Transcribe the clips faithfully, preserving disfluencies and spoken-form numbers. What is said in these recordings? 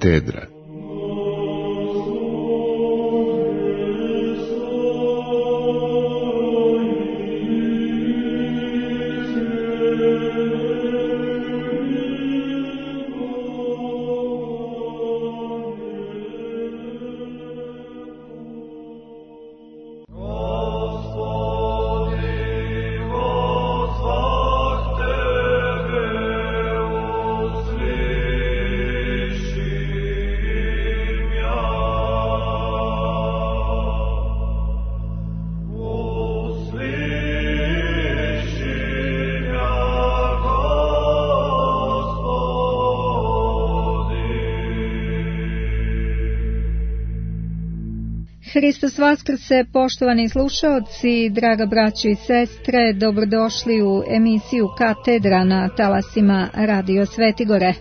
katedra. Hristos vaskrse, poštovani slušaoci, draga braćo i sestre, dobrodošli u emisiju Katedra na talasima Radio Svetigore.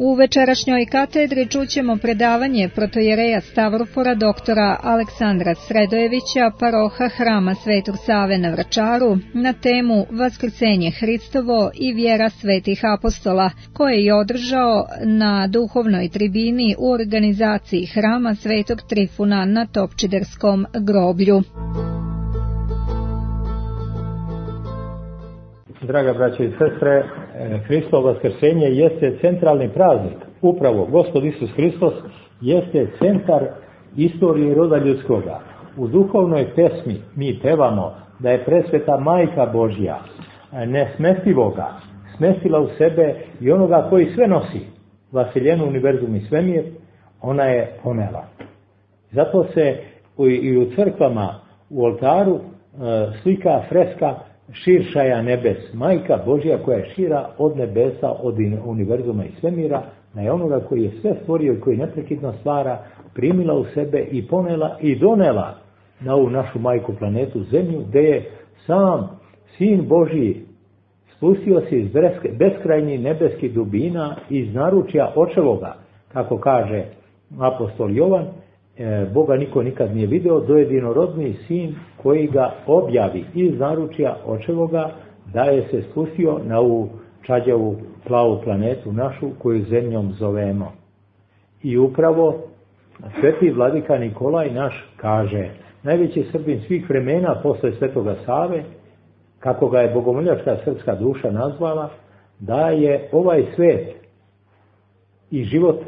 U večerašnjoj katedri čućemo predavanje protojereja Stavrofora doktora Aleksandra Sredojevića, paroha Hrama Svetog Save na Vračaru, na temu Vaskrsenje Hristovo i vjera svetih apostola, koje je održao na duhovnoj tribini u organizaciji Hrama Svetog Trifuna na Topčiderskom groblju. Draga braćo i sestre, Hristovo vaskrsenje jeste centralni praznik. Upravo Gospod Isus Hristos jeste centar istorije roda ljudskoga. U duhovnoj pesmi mi pevamo da je presveta Majka Božja, nesmestivoga, smestila u sebe i onoga koji sve nosi, vaseljenu univerzum i svemir, ona je ponela. Zato se i u crkvama u oltaru slika freska Širšaja nebes, Majka Božja koja je šira od nebesa, od univerzuma i svemira, na je onoga koji je sve stvorio i koji neprekidno stvara, primila u sebe i ponela i donela na ovu našu majku planetu Zemlju, gdje je sam Sin Božji spustio se iz beskrajnih nebeskih dubina, iz naručja očevoga, kako kaže apostol Jovan, Boga niko nikad nije video, do jedinorodni Sin koji ga objavi iz naručja očevoga, da je se spustio na ovu čađavu plavu planetu našu koju Zemljom zovemo. I upravo sveti vladika Nikolaj naš kaže, najveći Srbin svih vremena posle Svetoga Save, kako ga je bogomoljačka srpska duša nazvala, da je ovaj svet i život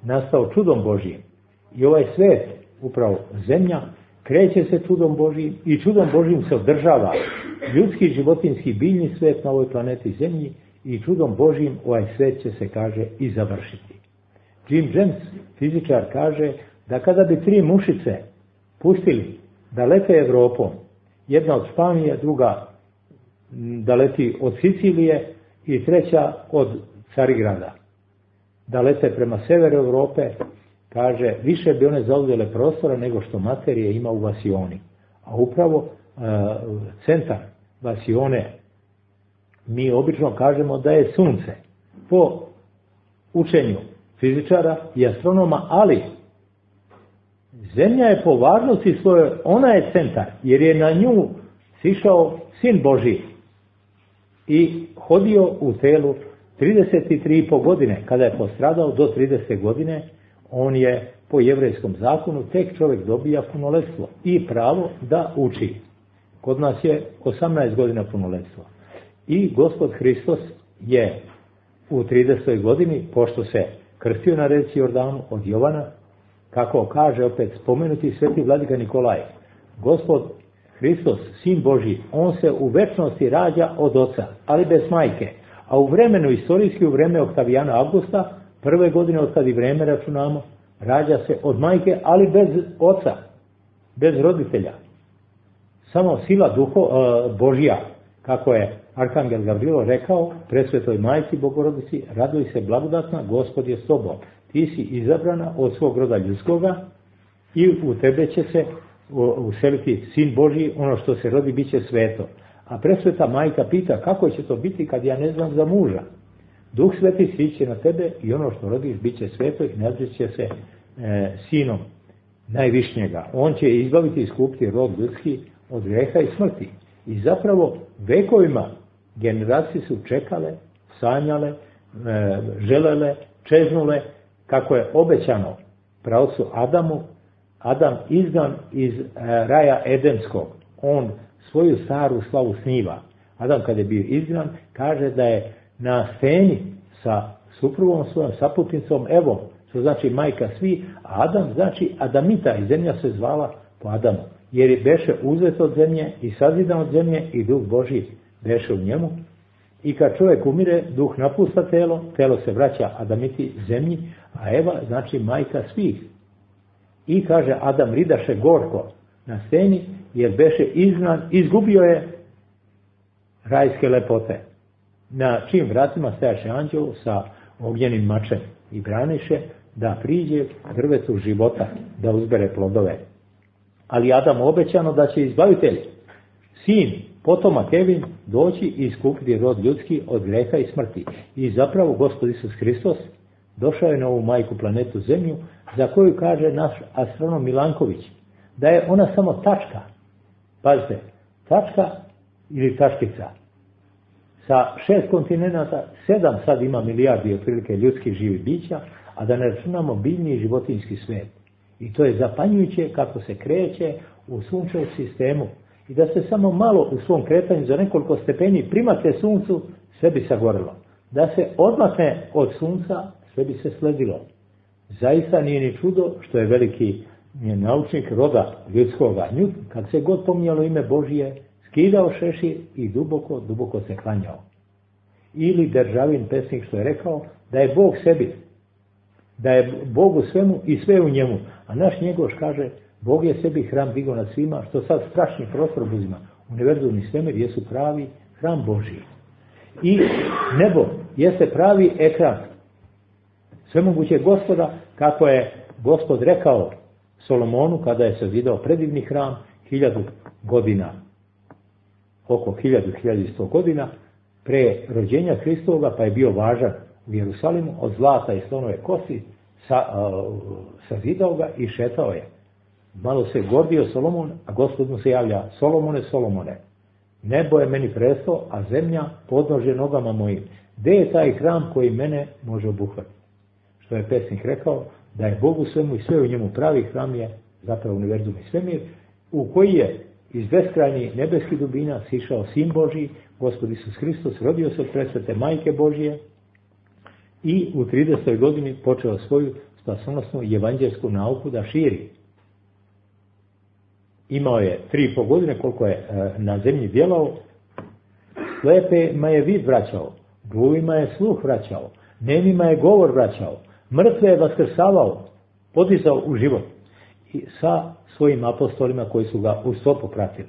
nastao čudom Božjim. I ovaj svet, upravo Zemlja, kreće se čudom Božjim i čudom Božjim se održava ljudski, životinski, biljni svet na ovoj planeti Zemlji i čudom Božjim ovaj svet će se, kaže, i završiti. Jim James, fizičar, kaže da kada bi tri mušice pustili da lete Evropom, jedna od Španije, druga da leti od Sicilije i treća od Carigrada, da lete prema severu Evrope, kaže, više bi one zauzele prostora nego što materije ima u vasioni. A upravo e, centar vasione, mi obično kažemo da je sunce. Po učenju fizičara i astronoma, ali Zemlja je po važnosti svoje, ona je centar, jer je na nju sišao Sin Božji i hodio u telu trideset tri i po godine. Kada je postradao do tridesete godine, on je po jevrejskom zakonu, tek čovjek dobija punoletstvo i pravo da uči. Kod nas je osamnaest godina punoletstvo. I Gospod Hristos je u tridesetoj godini, pošto se krstio na reci Jordanu od Jovana, kako kaže opet spomenuti sveti vladika Nikolaj, Gospod Hristos, Sin Božji, on se u večnosti rađa od oca, ali bez majke. A u vremenu, istorijski u vreme Oktavijana Avgusta, prve godine od kad i vreme računamo, rađa se od majke, ali bez oca, bez roditelja. Samo sila duho, uh, Božja, kako je Arkangel Gavrilo rekao, presvetoj majci Bogorodici, raduj se blagodatna, Gospod je s tobom. Ti si izabrana od svog roda ljudskoga i u tebe će se useliti Sin Božji, ono što se rodi bit će sveto. A presveta majka pita, kako će to biti kad ja ne znam za muža? Duh Sveti siće na tebe i ono što rodiš bit će sveto i nazvat će se e, Sinom najvišnjega. On će izbaviti i iskupiti rod ljudski od greha i smrti. I zapravo vekovima generacije su čekale, sanjale, želele, čeznule, kako je obećano praocu Adamu, Adam izgan iz raja Edenskog, on svoju staru slavu sniva. Adam kad je bio izgnan, kaže da je na steni sa suprugom svojom saputnicom Evom, što znači majka svi, a Adam znači Adamita i zemlja se zvala po Adamu, jer je beše uzet od zemlje i sazidan od zemlje i duh Božji beše u njemu. I kad čovjek umire, duh napusta telo, telo se vraća Adamiti zemlji, a Eva znači majka svih. I kaže Adam ridaše gorko na steni, jer beše izgnan, izgubio je rajske lepote. Na čim vratima stajaše anđeo sa ognjenim mačem i braniše da priđe drvetu života, da uzbere plodove. Ali Adamu obećano da će izbavitelj, sin, potomak Evin, doći i iskupiti rod ljudski od greha i smrti. I zapravo Gospod Isus Hristos došao je na ovu majku planetu Zemlju, za koju kaže naš astronom Milanković, da je ona samo tačka. Pazite, tačka ili tačkica. Sa šest kontinenta, sedam sad ima milijardi otprilike ljudskih živih bića, a da ne računamo biljni i životinjski svijet. I to je zapanjujuće kako se kreće u sunčevom sistemu. I da se samo malo u svom kretanju za nekoliko stepeni primate suncu, sve bi sagorilo. Da se odmakne od sunca, sve bi se sledilo. Zaista nije ni čudo što je veliki naučnik roda ljudskoga Newton, kad se god pominjalo ime Božije, skidao šešir i duboko, duboko se klanjao. Ili Državin pesnik što je rekao da je Bog sebi, da je Bog u svemu i sve u njemu. A naš Njegoš kaže, Bog je sebi hram digao nad svima, što sad strašni prostor uzima. Univerzum i svemir jesu pravi hram Božiji. I nebo jeste pravi ekran svemogućeg Gospoda, kako je Gospod rekao Solomonu kada je sazidao predivni hram hiljadu godina, oko hiljadu, hiljadu sto godina pre rođenja Hristovoga, pa je bio važan u Jerusalimu, od zlata i slonove kosti sa, uh, sazidao ga i šetao je. Malo se gordio Solomon, a Gospod mu se javlja, Solomone, Solomone, nebo je meni presto, a zemlja podnože nogama mojim. Gde je taj hram koji mene može obuhvatiti? Što je pesnik rekao, da je Bogu svemu i sve u njemu pravi hram je zapravo univerzum i svemir, u koji je iz beskrajnih nebeskih dubina sišao Sin Božji, Gospod Isus Hristos, rodio se od presvete Majke Božje i u tridesetoj godini počeo svoju spasonosnu i evanđelsku nauku da širi. Imao je tri i pol godine koliko je na zemlji djelao, slepima je vid vraćao, gluvima je sluh vraćao, nemima je govor vraćao, mrtve je vaskrsavao, podizao u život i sa svojim apostolima koji su ga u stopu pratili.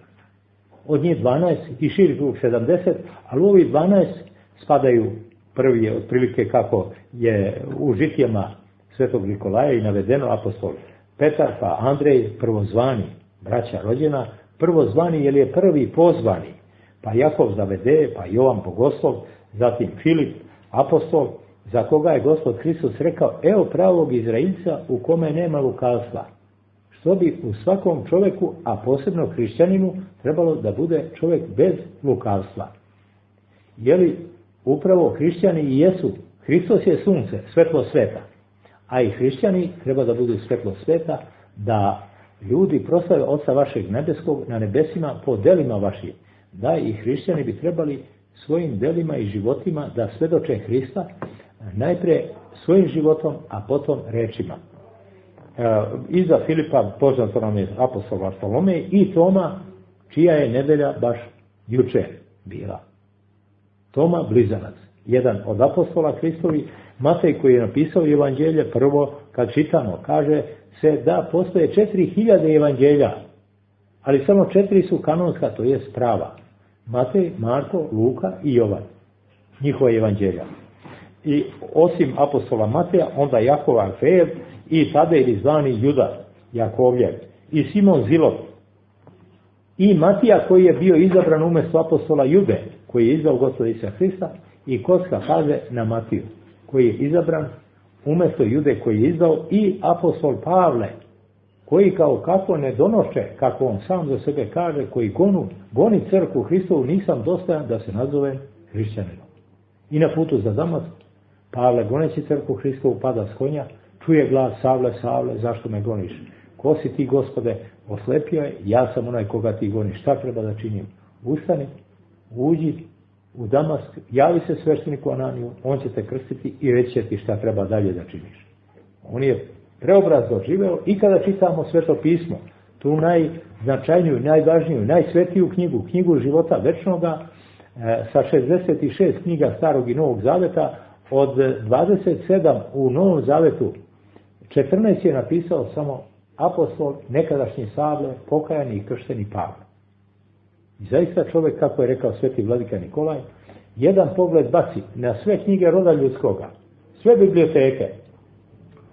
Od njih dvanaest i širi krug sedamdeset, ali u ovih dvanaest spadaju, prvi je otprilike kako je u žitijama Svetog Nikolaja i navedeno apostol Petar, pa Andrej, prvozvani, braća rođena, prvozvani jer je prvi pozvani, pa Jakov zavede, pa Jovan Bogoslov, zatim Filip, apostol, za koga je Gospod Hristos rekao, evo pravog Izraelca u kome nema lukavstva. Što bi u svakom čovjeku, a posebno hrišćaninu, trebalo da bude čovjek bez lukavstva. Jeli upravo hrišćani i jesu, Hristos je sunce, svetlo sveta, a i hrišćani treba da budu svetlo sveta, da ljudi proslave Oca vašeg nebeskog na nebesima po delima vašim. Da i hrišćani bi trebali svojim delima i životima da svedoče Hrista, najprije svojim životom, a potom rečima. E, iza Filipa poznato nam je apostol Bartolomej i Toma, čija je nedelja baš juče bila. Toma blizanac, jedan od apostola Hristovi, Matej koji je napisao evanđelje, prvo kad čitamo, kaže se da postoje četiri hiljade evanđelja, ali samo četiri su kanonska, to je prava. Matej, Marko, Luka i Jovan, njihova evanđelja. I osim apostola Mateja, onda Jakov Alfejev i Tadej zvani Judas Jakovljev i Simon Zilot i Matija koji je bio izabran umjesto apostola Jude, koji je izdao Gospoda Isusa Hrista, i Kocka kaže na Matiju, koji je izabran umjesto Jude koji je izdao, i apostol Pavle, koji kao kako ne donoše, kako on sam za sebe kaže, koji gonu, goni crkvu Hristovu, nisam dostojan da se nazovem hrišćaninom. I na putu za Damask, Pavle goneći crkvu Hristovu pada s konja, čuje glas: Savle, Savle, zašto me goniš? Ko si ti, Gospode? Oslepio je, ja sam onaj koga ti goniš, šta treba da činim? Ustani, uđi u Damask, javi se svešteniku Ananiju, on će te krstiti i reći će ti šta treba dalje da činiš. On je preobraz doživeo i kada čitamo Sveto pismo, tu najznačajniju, najvažniju, najsvetiju knjigu, knjigu života večnoga, e, sa šezdeset šest knjiga Starog i Novog Zaveta, od dvadeset sedam u Novom Zavetu, četrnaest je napisao samo apostol, nekadašnji Savle, pokajani i kršteni Pavle. I zaista čovjek, kako je rekao sveti vladika Nikolaj, jedan pogled baci na sve knjige roda ljudskoga, sve biblioteke,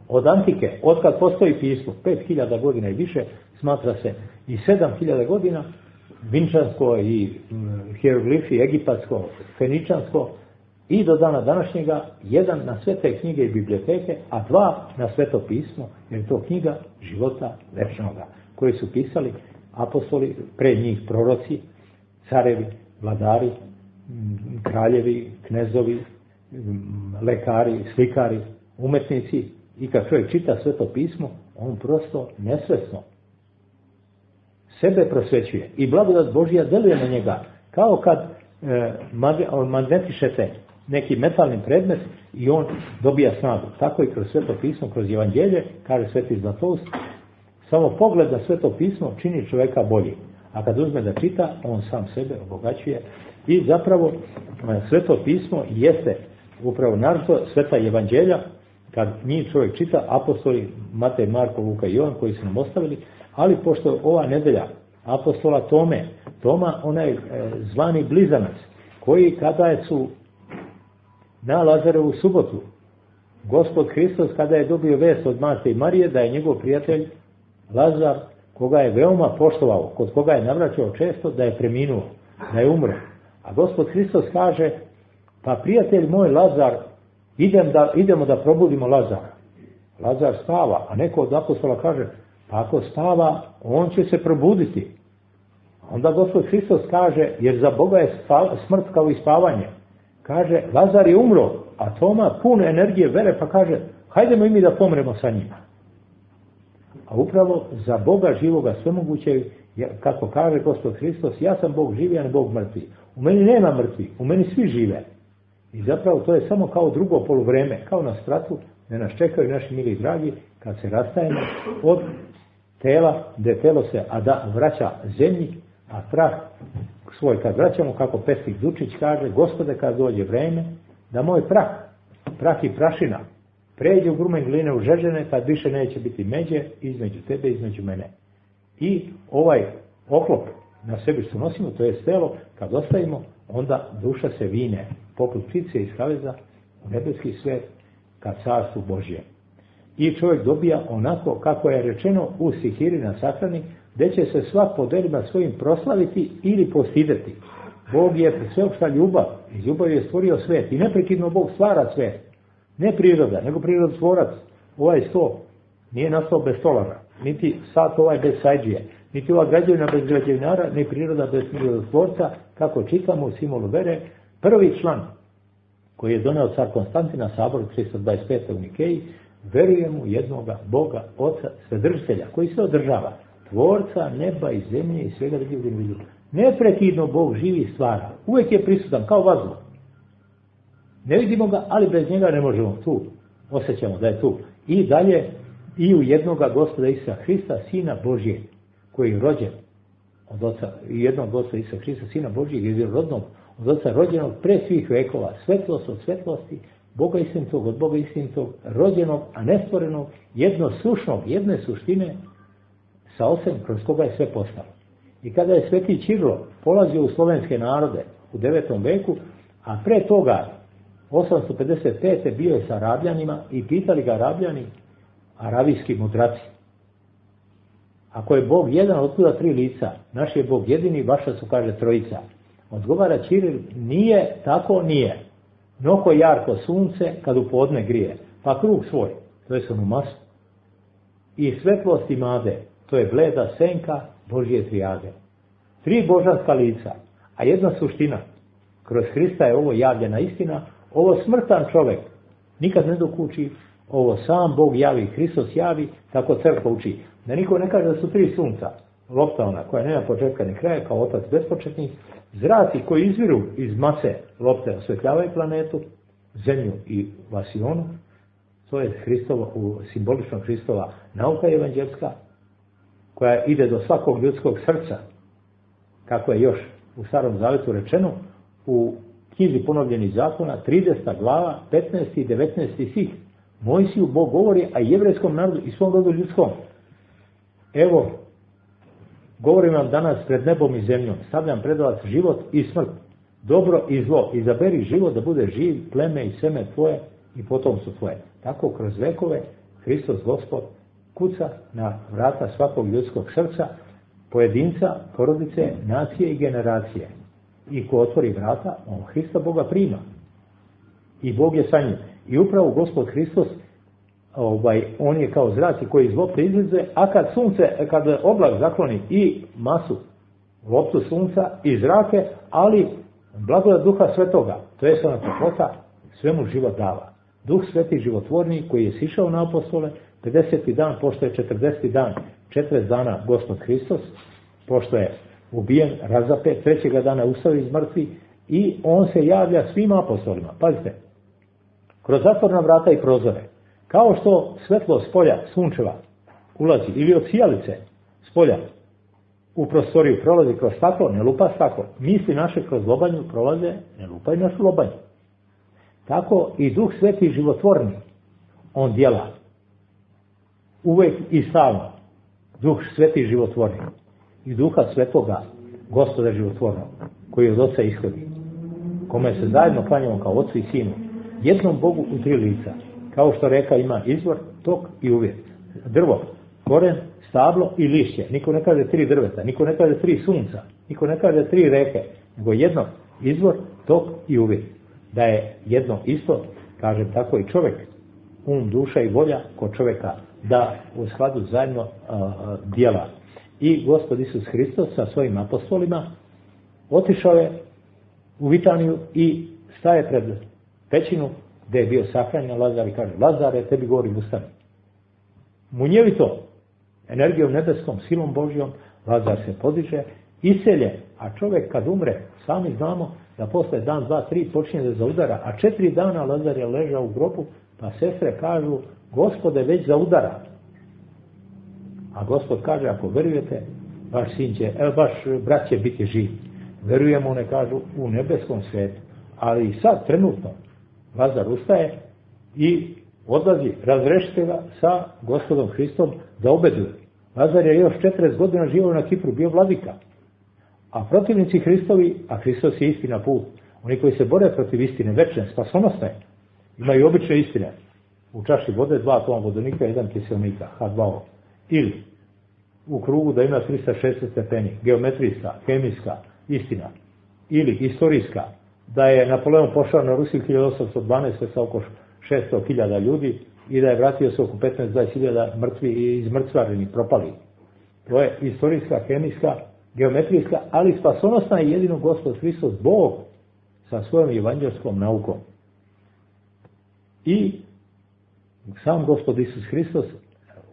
od antike, od kad postoji pismo, pet hiljada godina i više, smatra se i sedam hiljada godina, vinčansko i hieroglifi, egipatsko, feničansko, i do dana današnjega, jedan na sve te knjige i biblioteke, a dva na Sveto pismo, jer je to knjiga života večnoga, koje su pisali apostoli, pre njih proroci, carevi, vladari, kraljevi, knezovi, lekari, slikari, umetnici. I kad čovjek čita Sveto pismo, on prosto nesvesno sebe prosvećuje i blagodat Božja deluje na njega, kao kad e, magnetišete neki metalni predmet i on dobija snagu. Tako i kroz Sveto pismo, kroz Evanđelje, kaže sveti Zlatoust, samo pogled na Sveto pismo čini čovjeka bolji. A kad uzme da čita, on sam sebe obogaćuje. I zapravo Sveto pismo jeste upravo naročito Sveta Evanđelja, kad njih čovjek čita, apostoli Matej, Marko, Luka i Jovan koji su nam ostavili, ali pošto ova nedelja apostola Tome, Toma, onaj e, zvani blizanac, koji kada je su na Lazarevu subotu, Gospod Hristos kada je dobio vest od Marte i Marije da je njegov prijatelj Lazar, koga je veoma poštovao, kod koga je navraćao često, da je preminuo, da je umro. A Gospod Hristos kaže: pa prijatelj moj Lazar, idem da, idemo da probudimo Lazara. Lazar spava, a neko od apostola kaže: pa ako spava, on će se probuditi. Onda Gospod Hristos kaže, jer za Boga je smrt kao i spavanje. Kaže: Lazar je umro, a Toma pun energije vere, pa kaže: hajdemo i mi da pomremo sa njima. A upravo za Boga živoga svemogućeg, kako kaže Gospod Hristos, ja sam Bog živi, a ne Bog mrtvi. U meni nema mrtvi, u meni svi žive. I zapravo to je samo kao drugo poluvreme, kao na spratu, da nas čekaju naši mili dragi, kad se rastajemo od tela, gdje telo se a da vraća zemlji, a prah svoj kad vraćamo, kako pesnik Dučić kaže: Gospode, kad dođe vreme, da moj prah, prah i prašina, pređe u grumen gline u žežene, tad više neće biti međe između tebe i između mene. I ovaj oklop na sebi što nosimo, to je telo, kad ostavimo, onda duša se vine, poput ptice iz kaveza, u nebeski svet, ka carstvu Božje. I čovjek dobija onako kako je rečeno u Sihiri na sahrani, gdje će se svak po delima svojim proslaviti ili postideti. Bog je sveopšta ljubav, iz ljubavi je stvorio svet i neprekidno Bog stvara svet. Ne priroda, nego prirodotvorac. Ovaj sto nije nastao bez stolara, niti sat ovaj bez sajđije, niti ova građevina bez građevinara, ni priroda bez prirodotvorca, kako čitamo u simolu vere. Prvi član koji je doneo car Konstantina sabor tristo dvadeset pete u Nikeji, verujemo u jednoga Boga, Oca, Svedržitelja, koji se održava, tvorca neba i zemlje i svega drugog u vidu. Neprekidno Bog živi i stvara. Uvijek je prisutan kao vazduh. Ne vidimo ga, ali bez njega ne možemo. Tu osjećamo da je tu. I dalje i u jednoga Gospoda Isusa Hrista, Sina Božijeg, koji je rođen od Oca, i jednog Gospoda Isusa Hrista, Sina Božijeg, jednorodnog od Oca, rođenog pre svih vekova, svetlost od svetlosti, Boga istinitog od Boga istinitog, rođenog, a nestvorenog, jednosušnog, jedne suštine, sa Ocem kroz koga je sve postalo. I kada je sveti Ćirilo polazio u slovenske narode u devetom veku, a pre toga osamsto pedeset pete bio je sa Arabljanima i pitali ga Arabljani, aravijski mudraci: ako je Bog jedan, otkuda tri lica? Naš je Bog jedini, vaša su, kaže, trojica. Odgovara Ćiril: nije tako, nije. Noko jarko sunce kad u podne grije, pa krug svoj, to je onu masu. i svetlost imade, to je bleda senka Božje trijade. Tri božanska lica, a jedna suština. Kroz Hrista je ovo javljena istina, ovo smrtan čovjek nikad ne dokuči, ovo sam Bog javi, Hristos javi, tako crkva uči. Da niko ne kaže da su tri sunca, lopta ona koja nema početka ni kraja, kao otac bespočetni, zraci koji izviru iz mase lopte osvetljavaju planetu, zemlju i vasionu, to je Hristova, simbolično Hristova nauka evanđelska, koja ide do svakog ljudskog srca, kako je još u Starom Zavetu rečeno, u knjizi ponovljenih zakona, trideseta glava, petnaesti i devetnaesti stih. Mojsiju Bog govori, a jevrejskom narodu i svom rodu ljudskom. Evo, govorim vam danas pred nebom i zemljom, stavljam pred vas život i smrt, dobro i zlo, izaberi život da bude živ, pleme i seme tvoje i potomstvo tvoje. Tako kroz vekove Hristos Gospod kuca na vrata svakog ljudskog srca, pojedinca, porodice, nacije i generacije. I ko otvori vrata, on Hrista Boga prima. I Bog je sa njim. I upravo Gospod Hristos, ovaj, on je kao zraci koji iz lopte izlaze, a kad sunce, kad oblak zakloni i masu, loptu sunca i zrake, ali blagodat Duha Svetoga, to je ona toplota, svemu život dava. Duh Sveti životvorni koji je sišao na apostole, pedeseti dan, pošto je četrdeseti dan, četrdeset dana Gospod Hristos, pošto je ubijen, razapet, trećega dana ustao iz mrtvih i on se javlja svim apostolima. Pazite, kroz zatvorna vrata i prozore, kao što svetlo s polja, sunčeva, ulazi, ili od sijalice s polja u prostoriju prolazi kroz staklo, ne lupa staklo. Misli naše kroz lobanju prolaze, ne lupaju našu lobanju. Tako i Duh Sveti životvorni, on djela uvek i stalno. Duh Sveti životvorni i Duha Svetoga, Gospoda životvornog, koji od Oca ishodi, kome se zajedno klanjamo kao Ocu i Sinu, jednom Bogu u tri lica, kao što reka ima izvor, tok i uvjet. Drvo, koren, stablo i lišće. Niko ne kaže tri drveta, niko ne kaže tri sunca, niko ne kaže tri reke, nego jedno izvor, tok i uvjet. Da je jedno isto, kažem tako i čovjek, um, duša i volja kod čovjeka, da u skladu zajedno a, djela. I Gospod Isus Hristos sa svojim apostolima otišao je u Vitaniju i staje pred pećinu gdje je bio sahranjen Lazar i kaže: Lazare, tebi govorim, ustani. Munjevito, energijom nebeskom, silom Božjom, Lazar se podiže, iselje, a čovjek kad umre, sami znamo da posle dan, dva, tri počinje da zaudara, a četiri dana Lazar je ležao u grobu, pa sestre kažu: Gospode, već zaudara. A Gospod kaže: ako verujete, vaš sin će, evo, vaš brat će biti živ. Verujemo, one kažu, u nebeskom svijetu. Ali i sad, trenutno, Lazar ustaje i odlazi, razrešite ga sa Gospodom Hristom da obeduje. Lazar je još četrdeset godina živio na Kipru, bio vladika. A protivnici Hristovi, a Hristos je istina put, oni koji se bore protiv istine, večne, spasonosne, imaju obične istine. U čaši vode dva atoma vodonika, jedan kiselnika, H dva O. Ili u krugu da ima trista šezdeset stepeni, geometrijska, hemijska istina. Ili istorijska, da je Napoleon pošao na Rusiju hiljadu osamsto dvanaeste sa oko šesto hiljada ljudi i da je vratio se oko petnaest do dvadeset hiljada mrtvi i izmrcvareni, propali. To je istorijska, hemijska, geometrijska, ali spasonosna je jedino Gospod Hristos, Bog, sa svojom evanđelskom naukom. I sam Gospod Isus Hristos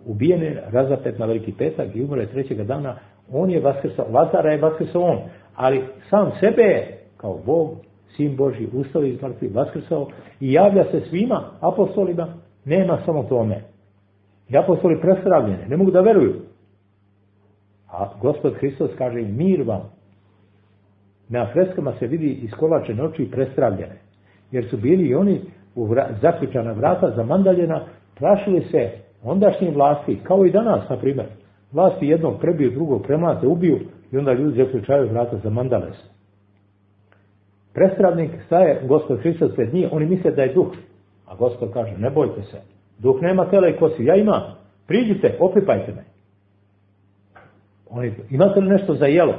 ubijen je, razapet na Veliki petak i umre trećega dana, on je vaskrsao, Lazara je vaskrsao on, ali sam sebe je kao Bog, Sin Božji, ustao iz mrtvih, vaskrsao i javlja se svima apostolima, nema samo tome. I apostoli prestravljene, ne mogu da veruju. A Gospod Hristos kaže: mir vam. Na freskama se vidi iskolačene oči i prestravljene, jer su bili i oni u vra, zaključana vrata, zamandaljena, trašili se ondašnje vlasti, kao i danas, na primjer. Vlasti jednog prebiju, drugog premlate, ubiju i onda ljudi zaključaju vrata, zamandale se. Prestravnik staje, Gospod Hristos pred njih, oni misle da je duh. A Gospod kaže: ne bojte se, duh nema tela i kosti, ja imam, priđite, opipajte me. Oni, imate li nešto za jelo?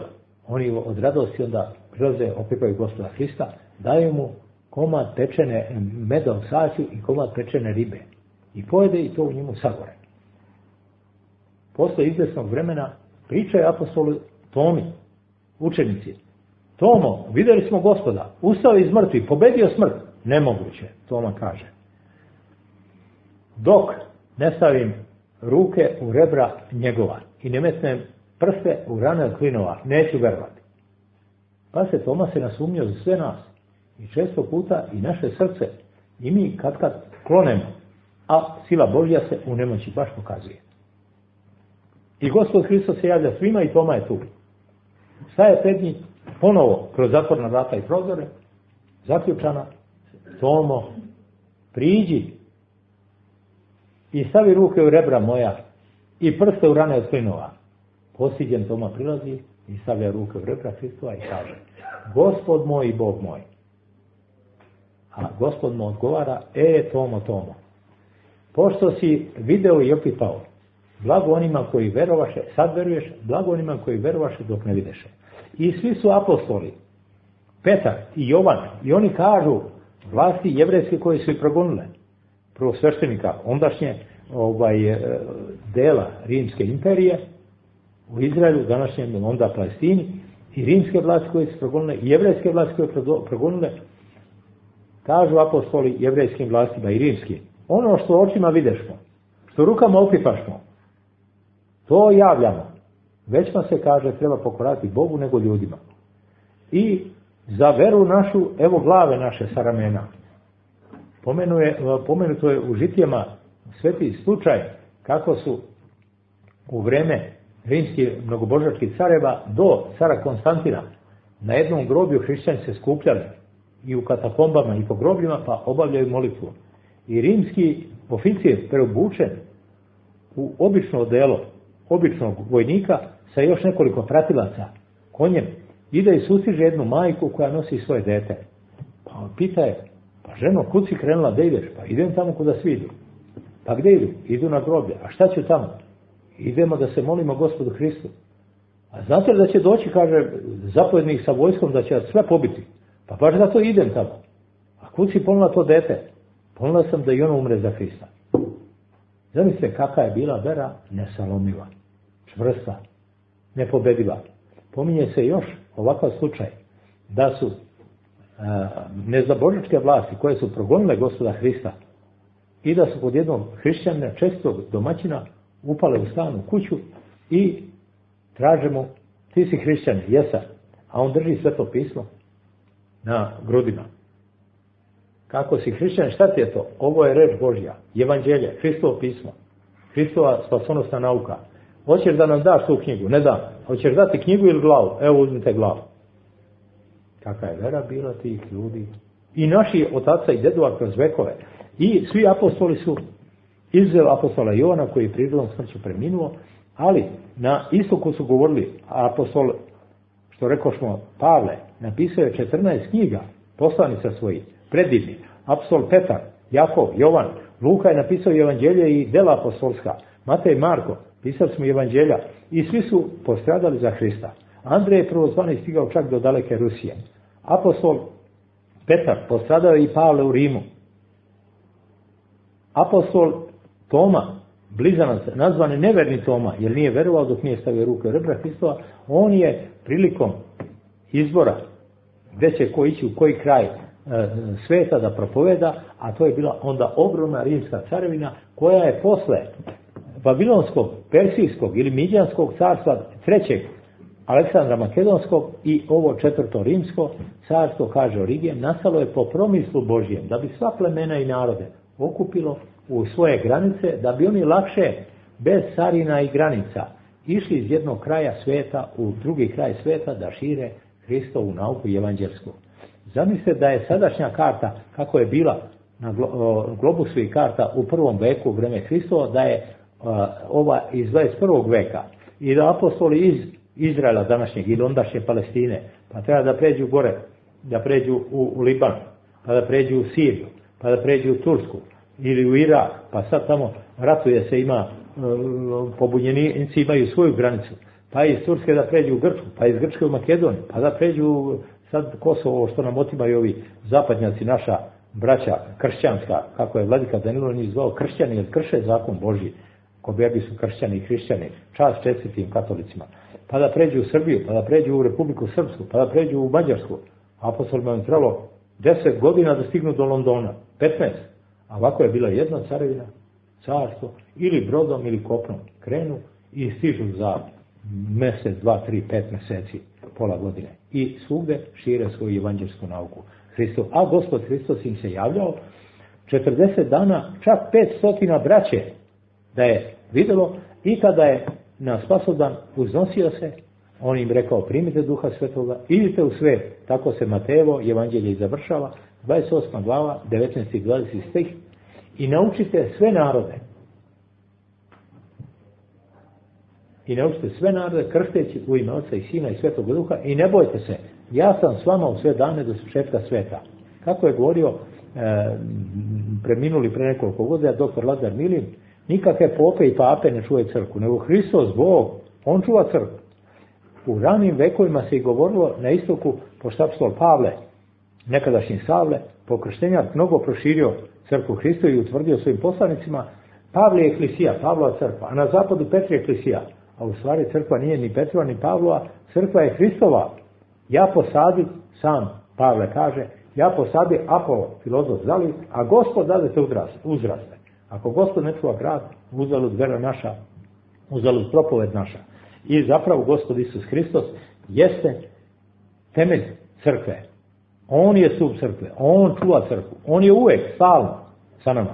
Oni od radosti onda prilaze, opipaju Gospoda Hrista, daju mu komad pečene meda u saću i komad pečene ribe. I pojede i to u njemu sagore. posle izvesnog vremena pričaju apostolu Tomi, učenici. Tomo, vidjeli smo Gospoda, ustao iz mrtvih, pobedio smrt. Nemoguće, Toma kaže. Dok ne stavim ruke u rebra njegova i ne metnem prste u rane od klinova, neću verovati. Pa se Toma se nasumnio za sve nas. I često puta i naše srce i mi kad kad klonemo, a sila Božja se u nemoći baš pokazuje. I Gospod Hristos se javlja svima i Toma je tu. Staje pred njih ponovo kroz zatvorna vrata i prozore, zaključana. Tomo, priđi i stavi ruke u rebra moja i prste u rane od klinova. Postiđen Toma prilazi i stavlja ruke u rebra Hristova i kaže: Gospod moj i Bog moj. A Gospod mu odgovara: E, Tomo, Tomo, pošto si video i opipao, blago onima koji verovaše, sad veruješ, blago onima koji verovaše dok ne videše. I svi su apostoli, Petar i Jovan, i oni kažu vlasti jevrejske koje su i progonile, prvo sveštenika ondašnje ovaj, dela Rimske imperije u Izraelu, današnjem onda Palestini, i rimske vlasti koje su progonile, i jevrejske vlasti koje su progonile, kažu apostoli jevrejskim vlastima i rimskim: ono što očima videšmo, što rukama opipašmo, to javljamo. Većma se, kaže, treba pokorati Bogu nego ljudima. I za veru našu, evo glave naše sa ramena. Pomenuje, pomenuto je u žitijama sveti slučaj kako su u vreme rimskih mnogobožačkih careva do cara Konstantina na jednom groblju hrišćani se skupljali i u katakombama i po grobljima, pa obavljaju molitvu. I rimski oficir preobučen u obično odelo običnog vojnika sa još nekoliko pratilaca konjem ide i sustiže jednu majku koja nosi svoje dete. Pa on pita je: pa ženo, kud si krenula, da ideš? Pa idem tamo kuda svi idu. Pa gdje idu? Idu na groblje. A šta ću tamo? Idemo da se molimo Gospodu Hristu. A znate li da će doći, kaže, zapovjednik sa vojskom, da će sve pobiti? Pa baš zato idem tamo. A kud si ponula to dete? Ponula sam da i ono umre za Hrista. Zamislite kakva je bila vera, nesalomiva, čvrsta, nepobediva. Pominje se još ovakav slučaj da su a, nezabožničke vlasti koje su progonile Gospoda Hrista i da su kod jednog hrišćanina, čestog domaćina, upale u stan, u kuću i traže mu: ti si hrišćanin, jesam. A on drži Sveto pismo na grudima. Kako si hrišćanin, šta ti je to? Ovo je reč Božja, evanđelje, Hristovo pismo, Hristova spasonosna nauka. Hoćeš da nam daš tu knjigu? Ne dam. Hoćeš dati knjigu ili glavu? Evo, uzmite glavu. Kakva je vera bila tih ljudi? I naši otaca i dedova kroz vekove. I svi apostoli su, izuzev apostola Jovana koji je prirodnom smrću preminuo, ali na istoku su govorili, apostol, što rekošmo, Pavle, napisao je četrnaest knjiga, poslanica svojih, predivni. Apostol Petar, Jakov, Jovan, Luka je napisao evanđelje i dela apostolska, Matej, Marko, pisali smo evanđelja, i svi su postradali za Hrista. Andrej je prvozvani stigao čak do daleke Rusije. Apostol Petar postradao i Pavle u Rimu. Apostol Toma, blizanac, nazvan je neverni Toma, jer nije verovao dok nije stavio ruke u rebra Hristova, on je prilikom izbora gdje će ko ići u koji kraj e, sveta da propoveda, a to je bila onda ogromna rimska carevina koja je posle Babilonskog, Persijskog ili Midjanskog carstva trećeg Aleksandra Makedonskog i ovo četvrto rimsko carstvo, kaže Origen, nastalo je po promislu Božjem, da bi sva plemena i narode okupilo u svoje granice, da bi oni lakše, bez carina i granica, išli iz jednog kraja sveta u drugi kraj sveta da šire Hristovu nauku i evanđelsku. Zamislite da je sadašnja karta, kako je bila na globusu i karta u prvom veku u vreme Hristova, da je ova iz dvadeset prvog veka i da apostoli iz Izraela današnjeg ili ondašnje Palestine, pa treba da pređu gore, da pređu u, u Liban, pa da pređu u Siriju, pa da pređu u Tursku ili u Irak, pa sad tamo ratuje se, ima pobunjenici imaju svoju granicu, pa iz Turske da pređu u Grčku, pa iz Grčke u Makedoniju, pa da pređu sad Kosovo, što nam otimaju ovi zapadnjaci, naša braća kršćanska, kako je vladika Danilo njih zvao kršćani, jer krše zakon Božji. Kobergi su kršćani i hrišćani, čast čestitim katolicima, pa da pređu u Srbiju, pa da pređu u Republiku Srpsku, pa da pređu u Mađarsku. Apostolima je trebalo deset godina da stignu do Londona, petnaest. A ovako je bila jedna carevina, carstvo, ili brodom ili kopnom. Krenu i stižu za mjesec, dva, tri, pet mjeseci, pola godine. I svugde šire svoju evanđelsku nauku. Hristo, a Gospod Hristos im se javljao četrdeset dana, čak petsto braće da je vidjelo, i kada je na spasodan uznosio se, on im rekao: primite Duha Svetoga, idite u svet. Tako se Matejevo evanđelje i završava, dvadeset osma glava, devetnaesti i dvadeseti stih, i naučite sve narode. I naučite sve narode, krsteći u ime Oca i Sina i Svetog Duha, i ne bojte se, ja sam s vama u sve dane do svršetka sveta. Kako je govorio e, preminuli pre nekoliko godina doktor Lazar Milin, nikakve pope i pape ne čuvaju crkvu, nego Hristos, Bog, on čuva crkvu. U ranim vekovima se i govorilo na istoku, pošto apostol Pavle, nekadašnji Savle, po krštenjak mnogo proširio crkvu Hristu i utvrdio svojim poslanicima. Pavle je eklisija, Pavlova crkva, a na zapadu Petra je eklisija. A u stvari crkva nije ni Petrova ni Pavlova, crkva je Hristova. Ja posadi, sam Pavle kaže, ja posadi, Apolo, filozof zali, a Gospod dadete uzraste. Ako Gospod ne čuva grad, uzalud vera naša, uzalud propoved naša. I zapravo Gospod Isus Hristos jeste temelj crkve. On je stup crkve, on čuva crkvu, on je uvek, stalno sa nama.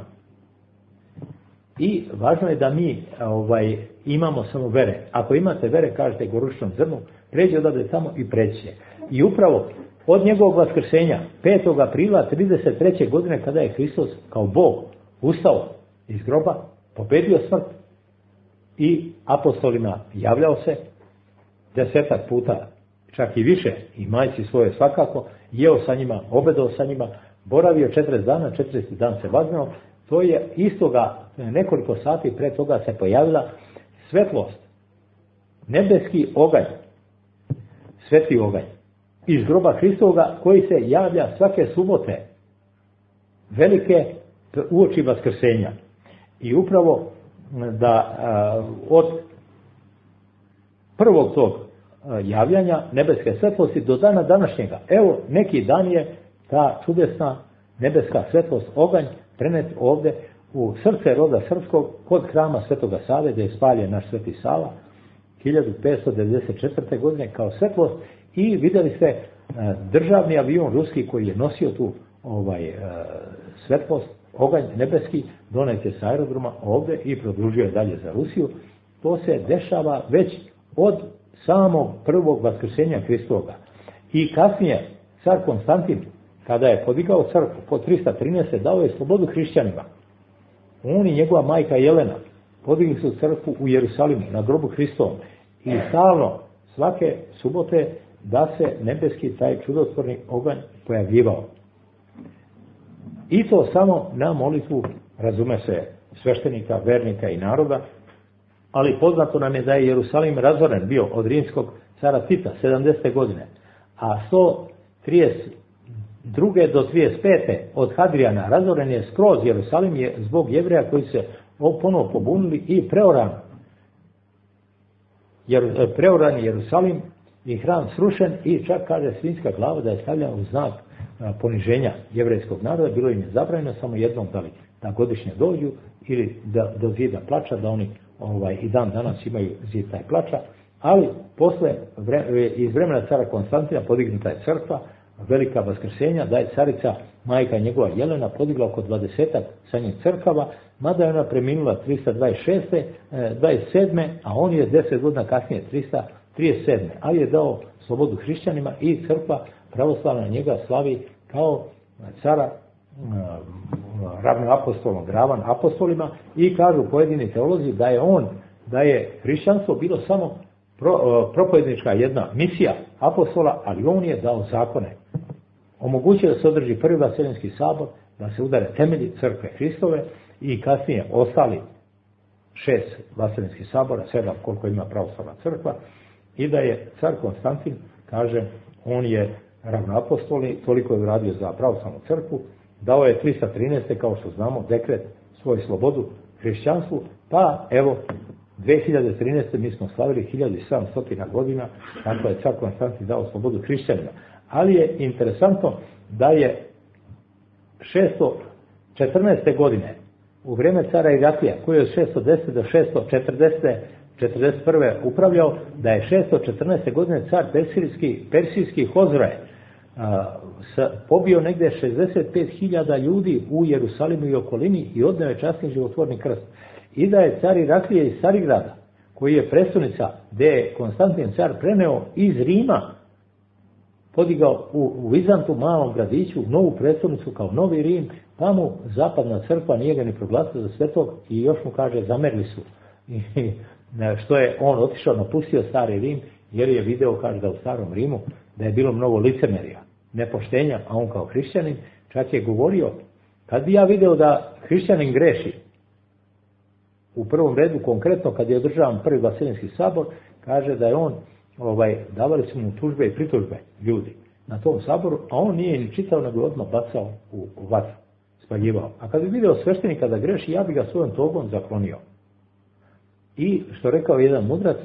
I važno je da mi ovaj, imamo samo vere. Ako imate vere, kažete gorušičnom zrnu, pređe odavde tamo i preće. I upravo od njegovog vaskrsenja, petog aprila trideset treće godine, kada je Hristos kao Bog ustao iz groba, pobedio smrt i apostolima javljao se desetak puta, čak i više, i majci svoje svakako, jeo sa njima, obedao sa njima, boravio četrdeset dana, četrdeset dan se vaznao. To je istoga, nekoliko sati pre toga se pojavila svetlost, nebeski oganj, sveti oganj iz groba Hristovoga, koji se javlja svake subote, velike uoči vaskrsenja. I upravo da a, od prvog tog a, javljanja nebeske svetlosti do dana današnjega, evo neki dan je ta čudesna nebeska svetlost, oganj, prenet ovde u srce roda srpskog, kod hrama Svetoga Save, gdje je spaljen naš Sveti Sava hiljadu petsto devedeset četvrte. godine kao svetlost. I vidjeli ste državni avion ruski koji je nosio tu ovaj svetlost, oganj nebeski, donet je sa aerodroma ovde i produžio je dalje za Rusiju. To se dešava već od samog prvog vaskrsenja Hristovoga. I kasnije car Konstantin, kada je podigao crkvu po trista trinaest. dao je slobodu hrišćanima. On i njegova majka Jelena podigli su crkvu u Jerusalimu na grobu Hristovom i stalno svake subote da se nebeski taj čudotvorni oganj pojavljivao. I to samo na molitvu, razume se, sveštenika, vernika i naroda, ali poznato nam je da je Jerusalim razoren bio od rimskog cara Tita sedamdesete. godine, a sto trideset druge do trideset pete. od Hadrijana razoren je skroz Jerusalim je zbog Jevreja koji se ponovo pobunili i preoran. Jer, preoran je Jerusalim i hram srušen i čak kaže svinjska glava da je stavljena u znak a, poniženja jevrejskog naroda. Bilo im je zabranjeno samo jednom da li da godišnje dođu ili da do zida plača, da oni ovaj, i dan danas imaju zid taj plača, ali posle vre, iz vremena cara Konstantina podignuta je crkva, velika vaskrsenja, da je carica majka njegova Jelena podigla oko dvadesetak sa njih crkava, mada je ona preminula trista dvadeset šeste. dvadeset sedme. a on je deset godina kasnije trista trideset sedme. ali je dao slobodu hrišćanima i crkva pravoslavna njega slavi kao cara ravnoapostolnog, ravan apostolima, i kažu pojedini teolozi da je on, da je hrišćanstvo bilo samo pro, propovednička jedna misija apostola, ali on je dao zakone. Omogućio da se održi prvi vaseljenski sabor, da se udare temelji crkve Hristove i kasnije ostali šest vaseljenskih sabora, sedam koliko ima pravoslavna crkva, i da je car Konstantin, kaže, on je ravnoapostolni, toliko je uradio za pravoslavnu crkvu, dao je trista trinaeste. kao što znamo dekret svoju slobodu hrišćanstvu, pa evo dve hiljade trinaeste. mi smo slavili hiljadu sedamsto godina kako je car Konstantin dao slobodu hrišćanima. Ali je interesantno da je šesto četrnaeste. godine u vrijeme cara Iraklija, koji je od šesto desete. do šesto četrdesete. četrdeset prve. upravljao, da je šesto četrnaeste. godine car persijski, persijski Hozroje pobio negdje šezdeset pet hiljada ljudi u Jerusalimu i okolini i odneo je časni životvorni krst. I da je car Iraklije iz Carigrada, koji je prestonica gdje je Konstantin car preneo iz Rima, podigao u, u Vizantu, malom gradiću, novu prestolnicu kao Novi Rim, pa mu zapadna crkva nije ga ni proglasila za svetog i još mu kaže zamerili su. I, što je on otišao, napustio stari Rim, jer je video, kaže da u starom Rimu, da je bilo mnogo licemerija, nepoštenja, a on kao hrišćanin čak je govorio, kad bi ja video da hrišćanin greši, u prvom redu konkretno kad je održavan prvi Vaseljenski sabor, kaže da je on, ovaj, davali su mu tužbe i pritužbe ljudi na tom saboru, a on nije ni čitao, nego odmah bacao u, u vatru, spaljivao. A kad bi video sveštenika da greši, ja bi ga svojom togom zaklonio. I što rekao jedan mudrac,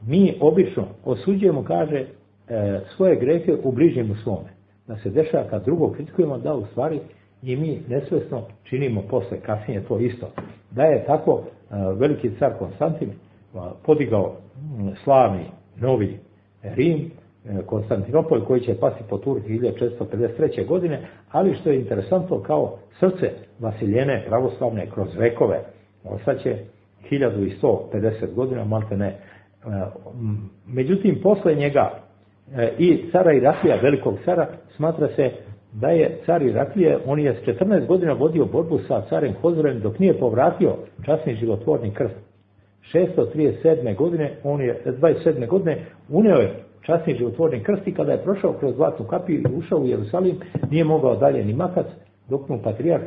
mi obično osuđujemo, kaže, e, svoje grehe u bližnjemu svome. Da se dešava kad drugog kritikujemo, da u stvari i mi nesvjesno činimo posle, kasnije to isto. Da je tako e, veliki car Konstantin e, podigao m, slavni novi Rim, e, Konstantinopolj, koji će pasti po Turki hiljadu četiristo pedeset treće. godine, ali što je interesantno, kao srce Vasiljene pravoslavne kroz vekove ostaće hiljadu sto pedeset godina, malte ne. Međutim, posle njega i cara Iraklija, velikog cara, smatra se da je car Iraklije, on je s četrnaest godina vodio borbu sa carem Hozrojem dok nije povratio časni životvorni krst. šesto trideset sedme. godine, on je dvadeset sedme. godine uneo je časni životvorni krst i kada je prošao kroz Zlatnu kapiju i ušao u Jerusalim, nije mogao dalje ni makac, dok mu patrijarh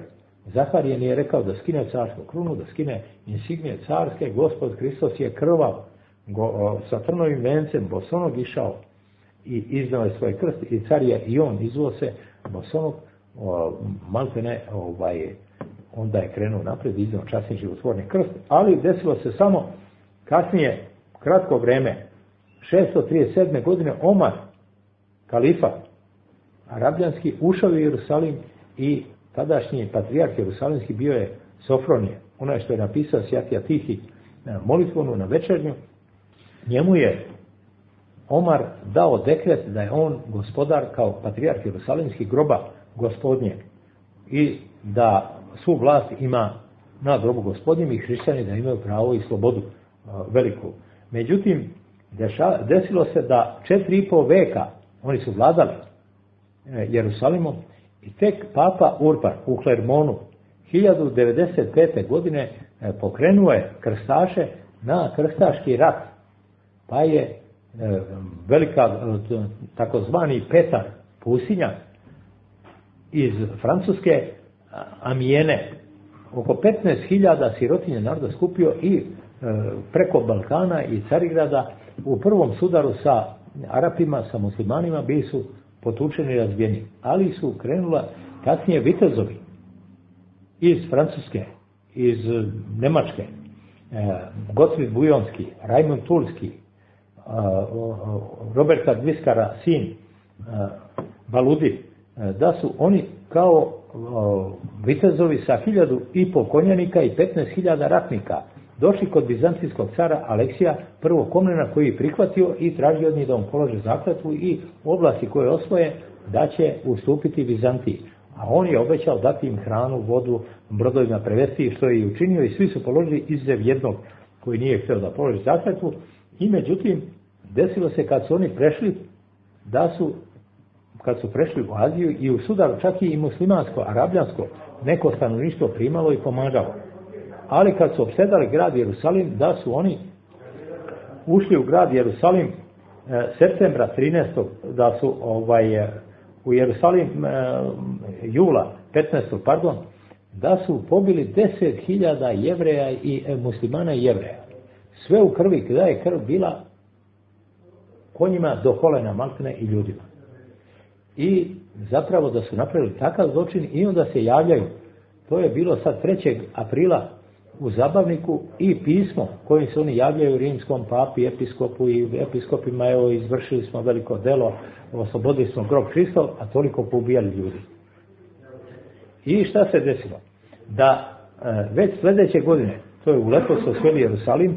Zaharijen je rekao da skine carsku krunu, da skine insignije carske, Gospod Hristos je krvav, go, o, sa trnovim vencem, bosonog išao i iznao je svoj krst i car je i on izvuo se bosonog, malte ne, ovaj, onda je krenuo napred i iznao časni životvorni krst, ali desilo se samo kasnije, kratko vreme, šesto trideset sedme. godine Omar, kalifa arabljanski, ušao u Jerusalim i tadašnji patrijarh Jerusalimski bio je Sofronije, onaj što je napisao Sjatija Tihi molitvonu na večernju. Njemu je Omar dao dekret da je on gospodar kao patrijarh Jerusalimski groba gospodnje i da svu vlast ima na grobu gospodnjem i hrišćani da imaju pravo i slobodu veliku. Međutim, deša, desilo se da četiri i pol veka oni su vladali Jerusalimom i tek papa Urban u Klermonu hiljadu devedeset pete. godine pokrenuo je krstaše na krstaški rat, pa je velika takozvani Petar Pusinja iz Francuske Amijene oko petnaest hiljada sirotinje naroda skupio i preko Balkana i Carigrada u prvom sudaru sa Arapima, sa muslimanima bili su potučeni i razbijeni, ali su krenula kasnije vitezovi iz Francuske, iz Nemačke, Gotfrid Bujonski, Rajmund Tulski, Roberta Dviskara sin Baludi, da su oni kao vitezovi sa hiljadu i pol konjanika i petnaest hiljada ratnika došli kod bizantijskog cara Aleksija prvog Komnena, koji je prihvatio i tražio od njih da on polože zakletvu i oblasti koje osvoje da će ustupiti Bizantiji. A on je obećao dati im hranu, vodu, brodovima prevesti, što je i učinio i svi su položili izuzev jednog koji nije htio da položi zakletvu. I međutim, desilo se kad su oni prešli, da su, kad su prešli u Aziju i u sudaru čak i muslimansko, arabljansko, neko stanovništvo primalo i pomagalo. Ali kad su opsedali grad Jerusalim, da su oni ušli u grad Jerusalim e, septembra trinaestog. da su ovaj, u Jerusalim e, jula petnaestog. pardon, da su pobili deset hiljada Jevreja i e, muslimana i Jevreja. Sve u krvi, kada je krv bila konjima do kolena maltene i ljudima. I zapravo da su napravili takav zločin i onda se javljaju. To je bilo sad trećeg aprila u zabavniku i pismo kojim se oni javljaju rimskom papi, episkopu i episkopima, evo izvršili smo veliko delo, oslobodili smo grob Hristov, a toliko poubijali ljudi. I šta se desilo? Da e, već sljedeće godine, to je u letos osvojili Jerusalim,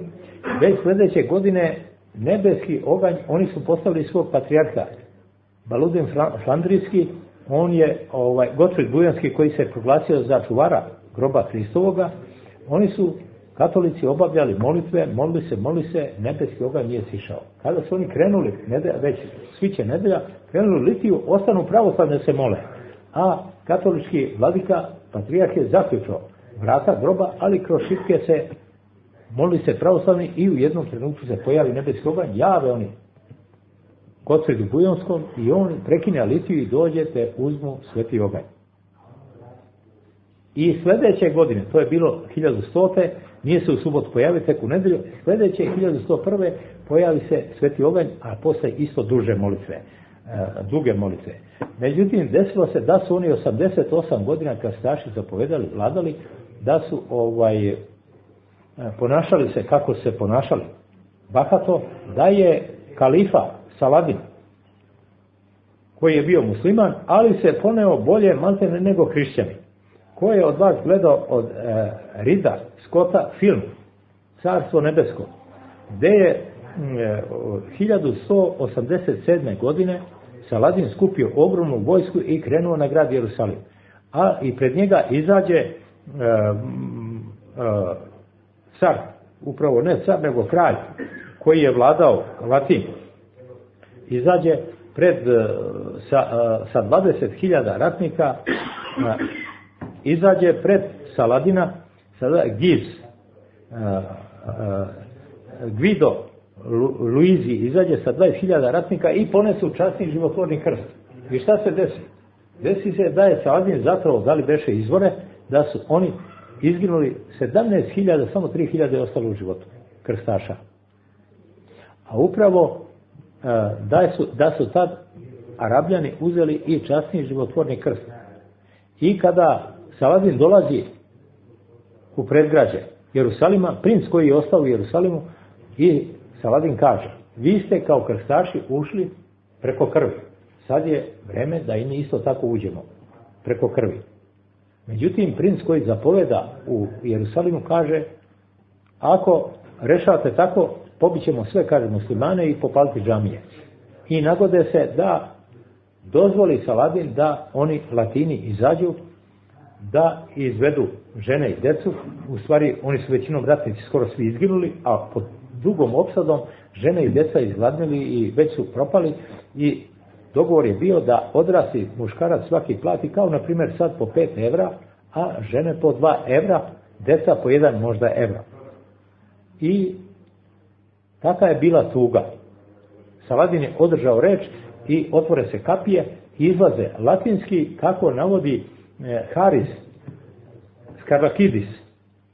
već sljedeće godine nebeski oganj, oni su postavili svog patrijarha. Baludin Flandrijski, on je ovaj, Gotfrid Bujanski koji se proglasio za čuvara groba Hristovoga, oni su katolici obavljali molitve, molili se, molili se, nebeski oganj nije sišao. Kada su oni krenuli, nedelja, već sviće nedelja, krenuli litiju, ostanu pravoslavni da se mole. A katolički vladika, patrijarh je zaključao vrata groba, ali kroz šipke se molili se pravoslavni i u jednom trenutku se pojavi nebeski oganj, jave oni Gotfridu Bujanskom i on prekine litiju i dođe te uzmu sveti oganj. I sljedeće godine, to je bilo hiljadu stote, nije se u subotu pojavio, tek u nedelju, sljedeće hiljadu sto prve pojavi se sveti oganj, a posle isto duže molitve, e, duge molitve. Međutim, desilo se da su oni osamdeset osam godina krstaši zapovedali, vladali, da su ovaj ponašali se kako se ponašali. Bahato, da je kalifa Saladin, koji je bio musliman, ali se poneo bolje maltene nego hrišćani. Ko je od vas gledao od e, Rida Scotta film Carstvo nebesko, gdje je e, hiljadu sto osamdeset sedme. godine Saladin skupio ogromnu vojsku i krenuo na grad Jerusalim. A i pred njega izađe e, e, car, upravo ne car, nego kralj, koji je vladao Latin. Izađe pred, sa, sa dvadeset hiljada ratnika, izađe pred Saladina, sada Giz, Guido Luizi, izađe sa dvadeset hiljada ratnika i ponesu časni životvorni krst. I šta se desi? Desi se da je Saladin zapravo, da li beše izvore, da su oni izginuli sedamnaest hiljada, samo tri hiljade je ostalo u životu, krstaša. A upravo da su, da su tad Arabljani uzeli i časni životvorni krst. I kada Saladin dolazi u predgrađe Jerusalima, princ koji je ostao u Jerusalimu, i Saladin kaže: vi ste kao krstaši ušli preko krvi. Sad je vreme da i mi isto tako uđemo preko krvi. Međutim, princ koji zapoveda u Jerusalimu kaže: ako rešavate tako, pobićemo sve, kaže, muslimane i popaliti džamije. I nagode se da dozvoli Saladin da oni Latini izađu, da izvedu žene i djecu. U stvari, oni su većinom ratnici skoro svi izginuli, a pod dugom opsadom žene i djeca izgladnili i već su propali, i dogovor je bio da odrasli muškarac svaki plati, kao na primjer sad po pet evra, a žene po dva evra, djeca po jedan možda evra. I taka je bila tuga. Saladin je održao reč i otvore se kapije i izlaze latinski, kako navodi eh, Haris Skarlakidis,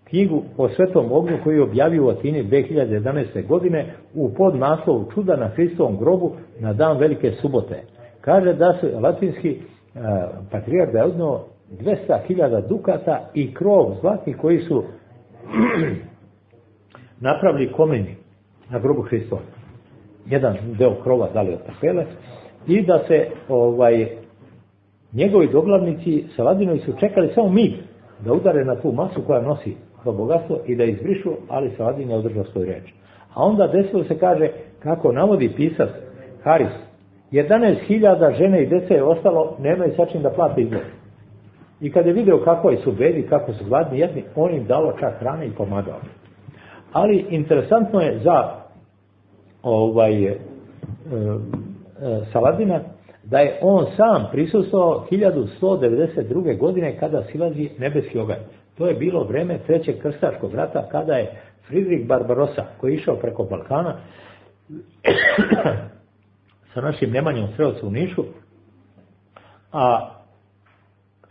knjigu o svetom ognju koju je objavio u Atini dve hiljade jedanaeste. godine u podnaslovu Čuda na Hristovom grobu na dan Velike subote. Kaže da su latinski eh, patrijarh da je odneo dvesta hiljada dukata i krov zlatni koji su napravili komeni na grobu Hristova. Jedan deo krova dali od kapele, i da se ovaj njegovi doglavnici Saladinovi su čekali samo mig da udare na tu masu koja nosi to bogatstvo i da izbrišu, ali Saladin je održao svoju reč. A onda desilo se, kaže, kako navodi pisac Haris, jedanaest hiljada žene i dece je ostalo, nemaju sa čim da plate izgled. I kad je video kako su bedi, kako su gladni, jedni, on im dalo čak hrane i pomagao. Ali interesantno je za ovaj e, e, Saladina da je on sam prisustvovao hiljadu sto devedeset druge. godine kada silazi nebeski oganj. To je bilo vreme trećeg krstaškog rata, kada je Fridrik Barbarosa, koji je išao preko Balkana sa našim Nemanjom Strelcem u Nišu, a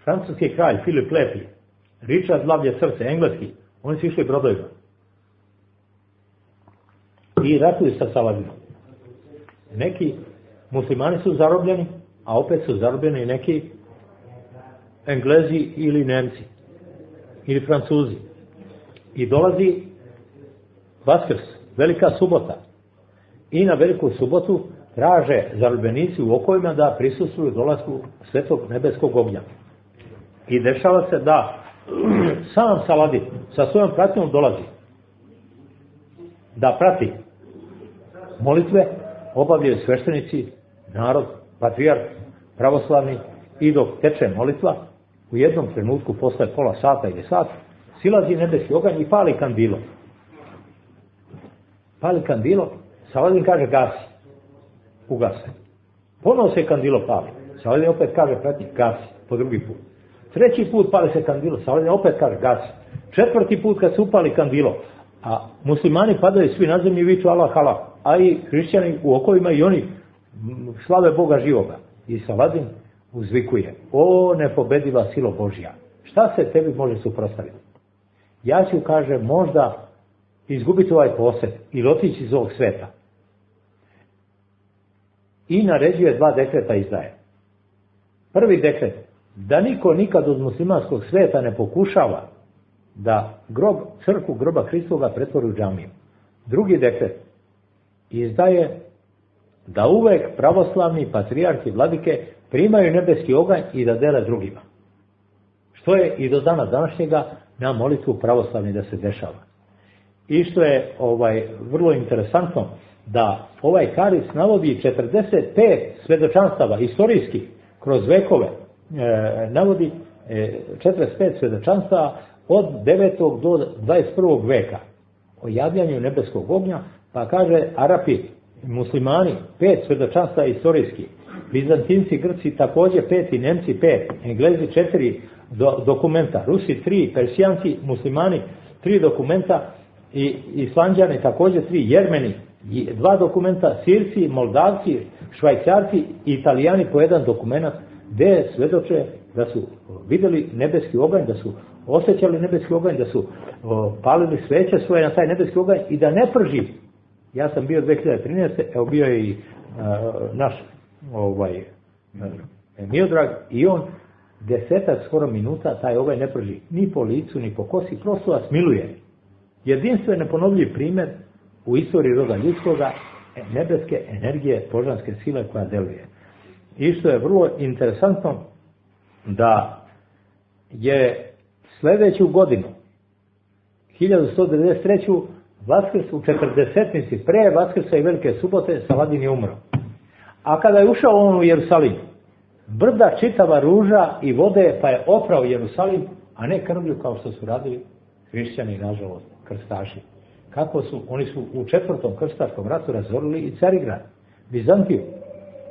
francuski kralj Filip Lepi, Richard Lavlje srce, engleski, oni su išli brodovima i ratuju sa Saladinom. Neki muslimani su zarobljeni, a opet su zarobljeni i neki Englezi ili Nemci ili Francuzi. I dolazi Vaskrs, velika subota. I na veliku subotu traže zarobljenici u okovima da prisustvuju dolasku svetog nebeskog ognja. I dešava se da sam Saladin sa svojom pratnjom dolazi da prati molitve, obavljaju sveštenici, narod, patrijarh, pravoslavni, i dok teče molitva, u jednom trenutku posle pola sata ili sat, silazi nebeski oganj i pali kandilo. Pali kandilo, Saladin kaže gasi, ugase. Ponovo se kandilo pali, Saladin opet kaže prati, gasi, po drugi put. Treći put pali se kandilo, Saladin opet kaže gasi. Četvrti put kad se upali kandilo, a muslimani padaju svi na zemlji i viču Allah, Allah, a i hrišćani u okovima i oni slave Boga živoga. I Saladin uzvikuje, o nepobediva silo Božja, šta se tebi može suprotstaviti? Ja ću, kaže, možda izgubiti ovaj posed ili otići iz ovog sveta. I naređuje dva dekreta izdaje. Prvi dekret, da niko nikad od muslimanskog sveta ne pokušava da grob, crkvu groba Hristoga pretvori u džamiju. Drugi dekret izdaje da uvek pravoslavni patrijarhi vladike primaju nebeski oganj i da dele drugima. Što je i do dana današnjega na molitvu pravoslavni da se dešava. I što je ovaj vrlo interesantno, da ovaj Haris navodi četrdeset pet svedočanstava istorijskih kroz vekove, e, navodi e, četrdeset pet svedočanstava od devetog do dvadeset prvog veka o javljanju nebeskog ognja, pa kaže Arapi, muslimani, pet svedočanstava istorijskih, Bizantinci, Grci također pet i Nemci pet, Englezi četiri do, dokumenta, Rusi tri, Persijanci, muslimani tri dokumenta i Islanđani također tri, Jermeni dva dokumenta, Sirci, Moldavci, Švajcarci i Italijani po jedan dokument gdje svedoče da su vidjeli nebeski oganj, da su osjećali nebeski oganj, da su o, palili sveće svoje na taj nebeski oganj i da ne prži. Ja sam bio dve hiljade trinaeste. Evo bio je i a, naš ovaj Miodrag i on desetak skoro minuta taj oganj ne prži ni po licu ni po kosi, prosto vas miluje. Jedinstven neponovljiv primjer u istoriji roda ljudskoga nebeske energije, božanske sile koja deluje. I što je vrlo interesantno, da je sljedeću godinu hiljadu sto devedeset treće. Vaskrs u četrdesetnici pre Vaskrsa i Velike subote Saladin je umro. A kada je ušao on u Jerusalim, brda čitava ruža i vode, pa je oprao Jerusalim, a ne krvlju kao što su radili hrišćani, nažalost, krstaši. Kako su, oni su u četvrtom krstaškom ratu razorili i Carigrad, Bizantiju.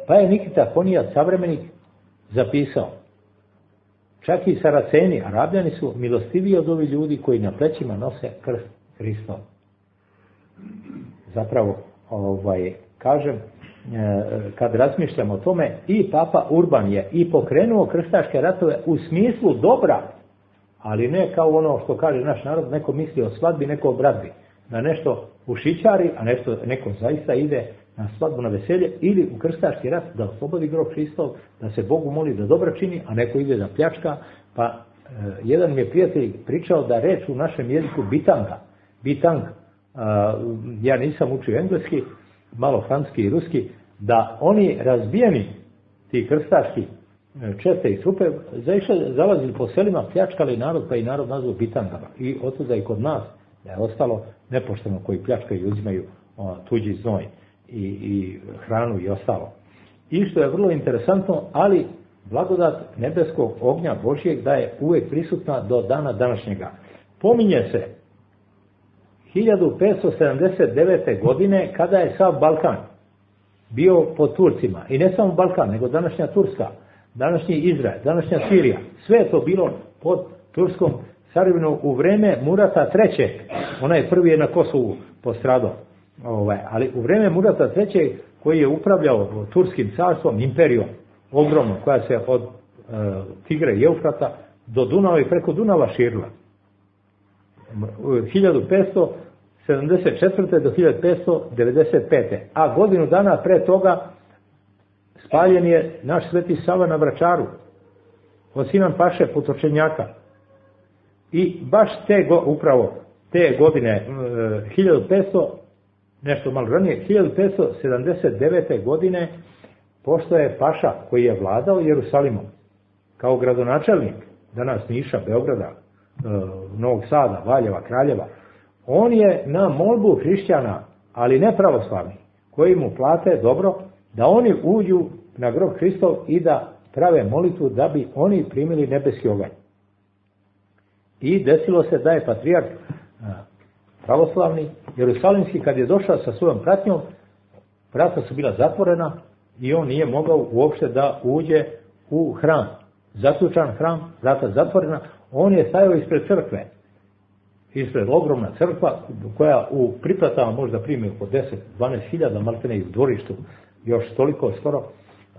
Pa je Nikita Konijat, savremenik, zapisao, čak i Saraceni, Arabljani su milostiviji od ovih ljudi koji na plećima nose krst Hristov. Zapravo, ovaj, kažem, kad razmišljam o tome, i Papa Urban je i pokrenuo krstaške ratove u smislu dobra, ali ne kao ono što kaže naš narod, neko misli o svadbi, neko o bradbi, da nešto ušićari, a nešto, neko zaista ide na svadbu, na veselje, ili u krstaški rat da oslobodi grob Hristov, da se Bogu moli da dobro čini, a neko ide da pljačka. Pa e, jedan mi je prijatelj pričao da reč u našem jeziku bitanga, bitang, e, ja nisam učio engleski, malo francuski i ruski, da oni razbijeni, ti krstaški čete i trupe, zaišli, zalazili po selima, pljačkali narod, pa i narod nazvao bitangama. I otuda i kod nas da je ostalo nepošteno koji pljačkaju i uzimaju o, tuđi znoj i, i hranu i ostalo. I što je vrlo interesantno, ali blagodat nebeskog ognja Božjeg da je uvijek prisutna do dana današnjega. Pominje se hiljadu petsto sedamdeset devete. godine kada je sav Balkan bio pod Turcima. I ne samo Balkan, nego današnja Turska, današnji Izrael, današnja Sirija. Sve je to bilo pod turskom carevinu u vreme Murata trećeg. Ona je prvi je na Kosovu postradao. Ovaj, ali u vreme Murata trećeg koji je upravljao turskim carstvom, imperijom, ogromnom, koja se od e, Tigre i Eufrata do Dunava i preko Dunava širila. hiljadu petsto sedamdeset četvrte. do hiljadu petsto devedeset pete. A godinu dana pre toga spaljen je naš Sveti Sava na Vračaru od Sinan Paše Putočenjaka. I baš te go, upravo te godine hiljadu petsto, nešto malo ranije, hiljadu petsto sedamdeset devete. godine pošto je paša koji je vladao Jerusalimom kao gradonačelnik danas Niša, Beograda, Novog Sada, Valjeva, Kraljeva, on je na molbu hrišćana, ali ne pravoslavni, koji mu plate dobro, da oni uđu na grob Hristov i da prave molitvu da bi oni primili nebeski oganj. I desilo se da je patrijarh pravoslavni, jerusalimski, kad je došao sa svojom pratnjom, vrata su bila zatvorena i on nije mogao uopšte da uđe u hram. Zaključan hram, vrata zatvorena, on je stajao ispred crkve, ispred ogromna crkva koja u priplatama možda primi oko deset do dvanaest hiljada, maltene i u dvorištu još toliko skoro.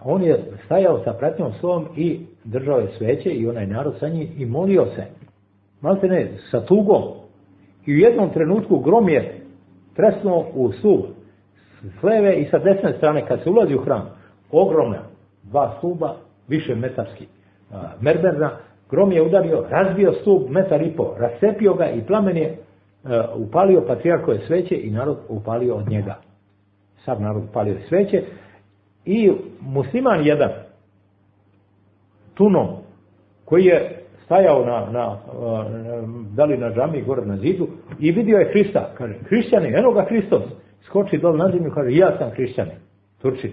On je stajao sa pratnjom svojom i držao je sveće i onaj narod sa njim i molio se, maltene sa tugom. I u jednom trenutku grom je tresnuo u stup s leve i sa desne strane kad se ulazi u hram. Ogromna dva stuba, više metarski, mermerna. Grom je udario, razbio stup metar i po, rascepio ga i plamen je uh, upalio patrijarhove sveće i narod upalio od njega. Sad narod upalio sveće i musliman jedan, Tunom, koji je stajao na, na, uh, da li na džamiji gore na zidu i vidio je Hrista. Kaže, hrišćani, eno ga Hristos. Skoči dol na zemlju, kaže, ja sam hrišćanin, Turčin.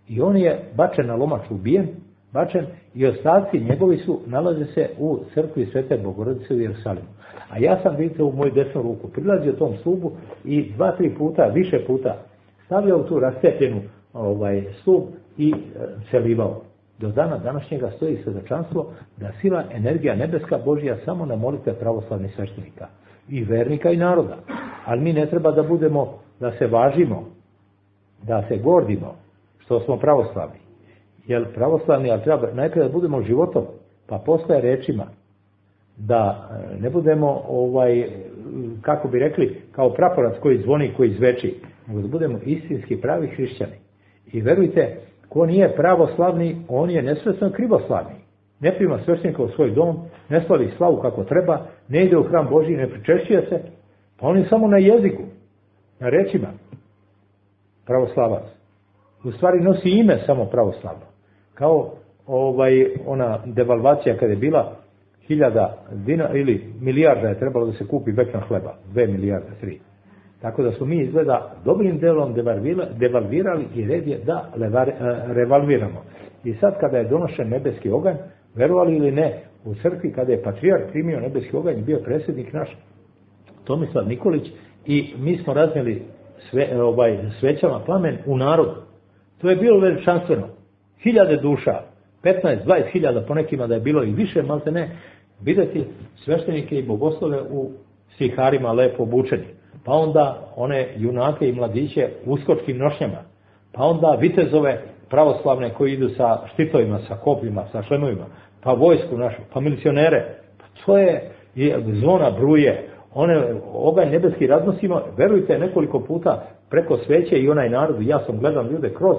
I on je bačen na lomač, ubijen, bačen i ostaci njegovi su, nalaze se u crkvi Svete Bogorodice u Jerusalimu. A ja sam, vidite, u moju desnu ruku prilazio tom stubu i dva, tri puta, više puta stavljao tu rascepljenu ovaj, stup i e, celivao. Do dana današnjega stoji svedočanstvo da sila, energija nebeska Božja samo na molitve pravoslavnih sveštenika i vernika i naroda. Ali mi ne treba da budemo, da se važimo, da se gordimo što smo pravoslavni. Jer pravoslavni, ali treba najprije da budemo životom, pa posle rečima, da ne budemo, ovaj, kako bi rekli, kao praporac koji zvoni, koji zveči, nego da budemo istinski pravi hrišćani. I verujte, ko nije pravoslavni, on je nesvesno krivoslavni. Ne prima sveštenika u svoj dom, ne slavi slavu kako treba, ne ide u hram Božji, ne pričešćuje se, pa on je samo na jeziku, na rečima, pravoslavac. U stvari nosi ime samo pravoslavno. Kao ovaj, ona devalvacija kada je bila hiljada dinara ili milijarda je trebalo da se kupi vekna hleba, dve milijarde, tri. Tako da smo mi izgleda dobrim delom devalvirali i red je da levar, revalviramo. I sad kada je donošen nebeski oganj, verovali ili ne, u crkvi kada je patrijarh primio nebeski oganj, bio predsjednik naš Tomislav Nikolić i mi smo raznijeli sve, ovaj, svećama plamen u narodu. To je bilo veličanstveno. Hiljade duša, petnaest do dvadeset hiljada po nekima da je bilo i više, malte ne, vidjeti sveštenike i bogoslove u stiharima lepo obučeni. Pa onda one junake i mladiće u uskočkim nošnjama. Pa onda vitezove pravoslavne koji idu sa štitovima, sa kopljima, sa šlemovima. Pa vojsku našu, pa milicionere. Pa to je, zvona bruje, one oganj nebeski raznosimo, verujte, nekoliko puta preko sveće i onaj narod, ja sam gledam ljude kroz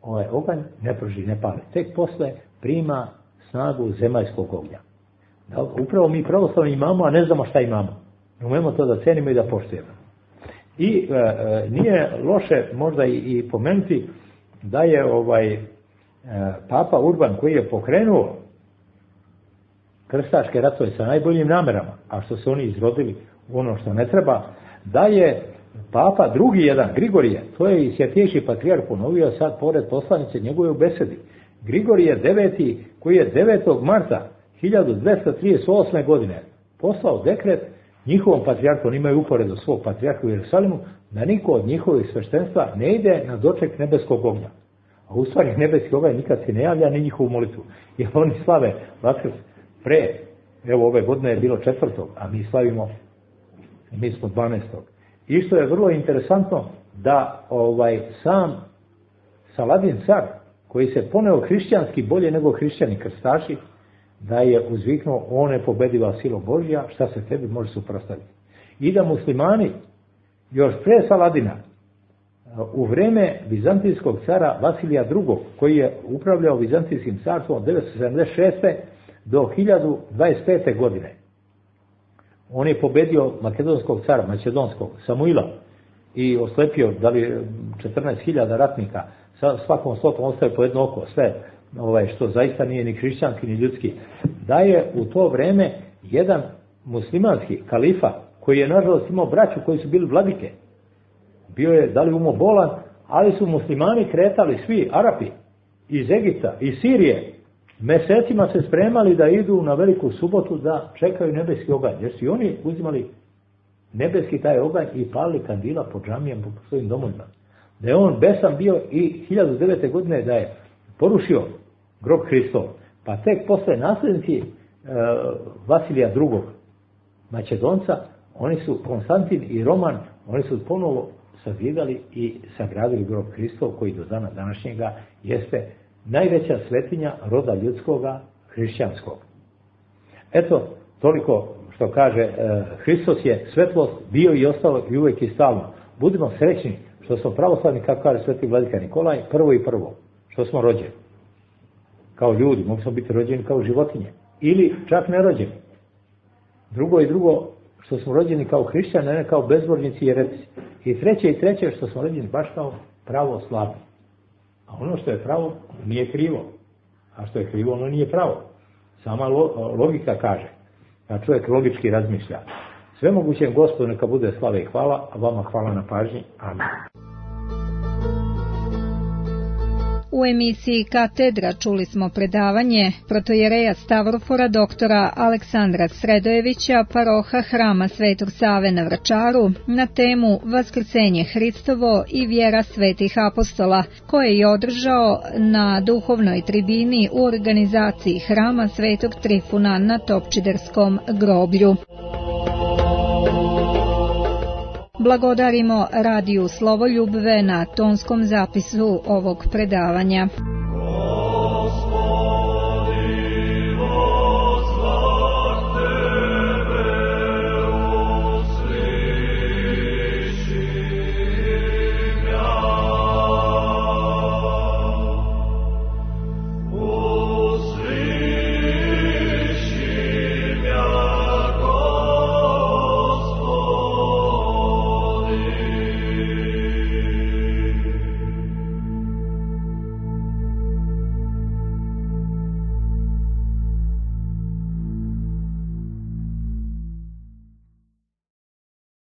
ovaj oganj, ne prži, ne pali. Tek posle prima snagu zemaljskog ognja. Da, upravo mi pravoslavni imamo, a ne znamo šta imamo. Umemo to da cenimo i da poštujemo. I e, e, nije loše možda i, i pomenuti da je ovaj e, Papa Urban, koji je pokrenuo krstaške ratove sa najboljim namerama, a što se oni izrodili u ono što ne treba, da je Papa drugi jedan, Grigorije, to je i Svjetejši patrijarh ponovio sad pored poslanice njegove u besedi. Grigorije deveti, koji je devetog marta hiljadu dvesta trideset osme. godine poslao dekret njihovom patrijarhu, oni imaju uporedo svog patrijarha u Jerusalimu, da niko od njihovih sveštenstva ne ide na doček nebeskog ognja. A u stvari nebeski oganj nikad se ne javlja ni njihovu molitvu. Jer oni slave Vaskrs pre, evo ove godine je bilo četvrtog, a mi slavimo, mi smo dvanaestog. I što je vrlo interesantno, da ovaj sam Saladin car, koji se poneo hrišćanski bolje nego hrišćani krstaši, da je uzviknuo, on je pobediva silo Božja, šta se tebi može suprotstaviti. I da muslimani, još pre Saladina, u vreme vizantijskog cara Vasilija drugog, koji je upravljao vizantijskim carstvom od devetsto sedamdeset šeste. do hiljadu dvadeset pete. godine, On je pobedio makedonskog cara, makedonskog, Samuila, i oslepio da li četrnaest hiljada ratnika, sa svakom slotom ostaje po jedno oko, sve, ovaj, što zaista nije ni hrišćanski ni ljudski. Da je u to vreme jedan muslimanski kalifa, koji je nažalost imao braću koji su bili vladike, bio je da li umobolan, ali su muslimani kretali svi, Arapi, iz Egipta, iz Sirije, mesecima se spremali da idu na Veliku subotu da čekaju nebeski oganj, jer su i oni uzimali nebeski taj oganj i palili kandila po džamijama, po svojim domovima. Da je on besan bio i hiljadu devete. godine da je porušio grob Hristov, pa tek posle naslednici e, Vasilija drugog. Makedonca, oni su, Konstantin i Roman, oni su ponovo sazidali i sagradili grob Hristov, koji do dana današnjega jeste najveća svetinja roda ljudskoga, hrišćanskog. Eto, toliko što kaže e, Hristos je svetlost, bio i ostalo i uvijek i stalno. Budimo srećni što smo pravoslavni, kako kaže sveti vladika Nikolaj, prvo i prvo, što smo rođeni. Kao ljudi, mogli smo biti rođeni kao životinje. Ili čak nerođeni. Drugo i drugo, što smo rođeni kao hrišćani, ne kao bezbožnici i jeretici. I treće i treće, što smo rođeni baš kao pravoslavni. A ono što je pravo nije krivo. A što je krivo, ono nije pravo. Sama logika kaže. A čovjek logički razmišlja. Sve mogućem Gospodu neka bude slava i hvala, a vama hvala na pažnji. Amen. U emisiji Katedra čuli smo predavanje protojereja Stavrofora doktora Aleksandra Sredojevića, paroha Hrama Svetog Save na Vračaru, na temu Vaskrsenje Hristovo i vjera svetih apostola, koje je održao na duhovnoj tribini u organizaciji Hrama Svetog Trifuna na Topčiderskom groblju. Blagodarimo radiju Slovoljub na tonskom zapisu ovog predavanja.